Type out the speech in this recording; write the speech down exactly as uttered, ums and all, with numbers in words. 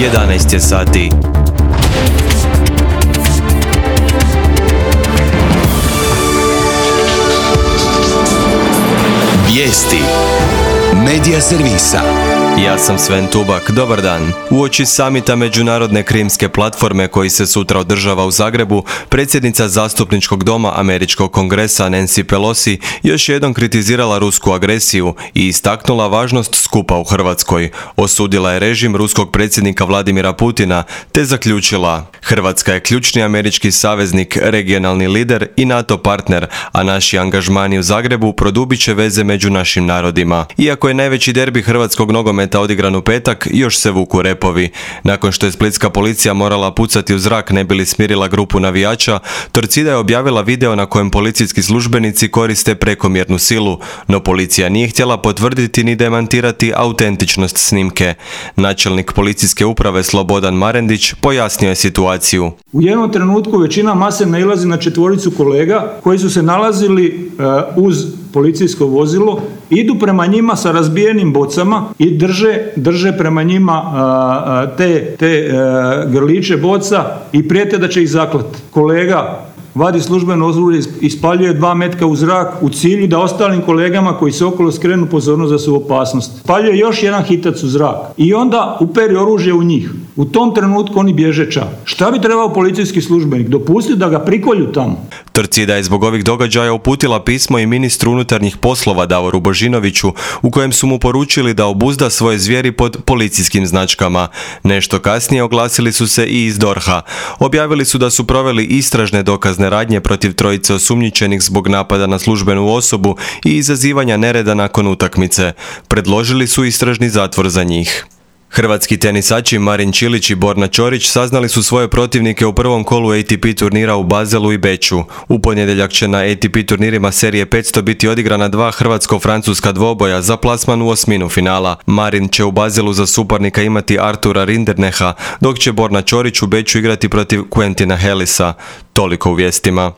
jedanaest je sati. Vijesti Medija servisa. Ja sam Sven Tubak, dobar dan. Uoči samita Međunarodne krimske platforme koji se sutra održava u Zagrebu, predsjednica Zastupničkog doma Američkog kongresa Nancy Pelosi još jednom kritizirala rusku agresiju i istaknula važnost skupa u Hrvatskoj. Osudila je režim ruskog predsjednika Vladimira Putina te zaključila: Hrvatska je ključni američki saveznik, regionalni lider i NATO partner, a naši angažmani u Zagrebu produbit će veze među našim narodima. Iako je najveći derbi hrvatskog nogometa odigran u petak, još se vuku repovi. Nakon što je splitska policija morala pucati u zrak ne bi li smirila grupu navijača, Torcida je objavila video na kojem policijski službenici koriste prekomjernu silu, no policija nije htjela potvrditi ni demantirati autentičnost snimke. Načelnik policijske uprave Slobodan Marendić pojasnio je situaciju. U jednom trenutku većina mase nailazi na četvoricu kolega koji su se nalazili uh, uz policijsko vozilo, idu prema njima sa razbijenim bocama i drže, drže prema njima uh, te, te uh, grliće boca i prijete da će ih zaklati. Kolega vadi službeno oružje i ispaljuje dva metka u zrak u cilju da ostalim kolegama koji se okolo skrenu pozornost da su u opasnosti. Spaljuje još jedan hitac u zrak i onda uperi oružje u njih. U tom trenutku oni bježe ča. Šta bi trebao policijski službenik? Dopustiti da ga prikolju tamo? Torcida je zbog ovih događaja uputila pismo i ministru unutarnjih poslova Davoru Božinoviću u kojem su mu poručili da obuzda svoje zvijeri pod policijskim značkama. Nešto kasnije oglasili su se i iz DORH-a. Objavili su da su proveli istražne dokazne radnje protiv trojice osumnjičenih zbog napada na službenu osobu i izazivanja nereda nakon utakmice. Predložili su istražni zatvor za njih. Hrvatski tenisači Marin Čilić i Borna Ćorić saznali su svoje protivnike u prvom kolu A T P turnira u Baselu i Beču. U ponedjeljak će na A T P turnirima serije petsto biti odigrana dva hrvatsko-francuska dvoboja za plasman u osminu finala. Marin će u Baselu za suparnika imati Artura Rinderneha, dok će Borna Ćorić u Beču igrati protiv Quentina Hellisa. Toliko u vijestima.